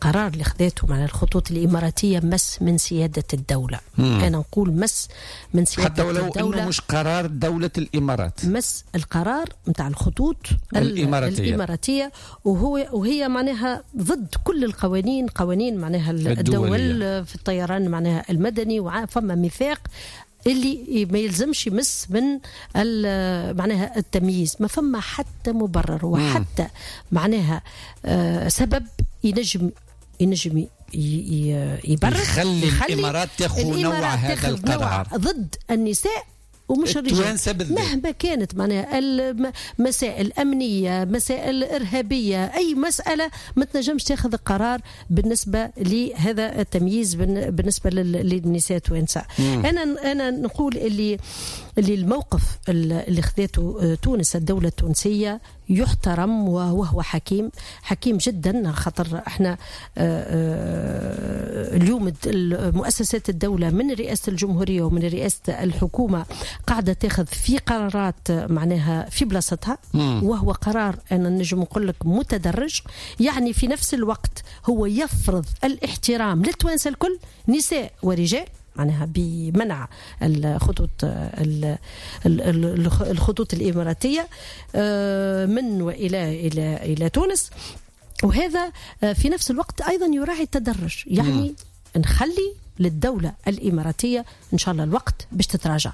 القرار اللي خذاته مع الخطوط الإماراتية مس من سيادة الدولة. أنا نقول مس من سيادة حتى ولو الدولة، أنه مش قرار دولة الإمارات، مس القرار نتاع الخطوط الإماراتية. الإماراتية، وهي معناها ضد كل القوانين، قوانين معناها الدولية. الدول في الطيران معناها المدني، وفما ميثاق اللي ما يلزمش يمس من معناها التمييز. ما فما حتى مبرر وحتى معناها سبب ينجم يبرر يخلي يخلي الإمارات تاخذ نوع الإمارات هذا تاخذ نوع القرار ضد النساء ومش الرجال. التوانسة بالذات. مهما كانت معناها مسائل أمنية، مسائل إرهابية، أي مسألة ما تنجمش تاخذ قرار بالنسبة لهذا التمييز بالنسبة للنساء التوانسة. أنا نقول اللي الموقف اللي خذاته تونس، الدولة التونسية، يحترم وهو حكيم، حكيم جدا، خاطر احنا اليوم مؤسسات الدولة من رئاسة الجمهورية ومن رئاسة الحكومة قاعدة تاخذ في قرارات معناها في بلاصتها، وهو قرار أنا نجم نقول لك متدرج، يعني في نفس الوقت هو يفرض الاحترام للتوانسة الكل، نساء ورجال، معناها بمنع الخطوط الإماراتية من وإلى إلى تونس، وهذا في نفس الوقت أيضا يراعي التدرج، يعني نخلي للدولة الإماراتية إن شاء الله الوقت باش تتراجع.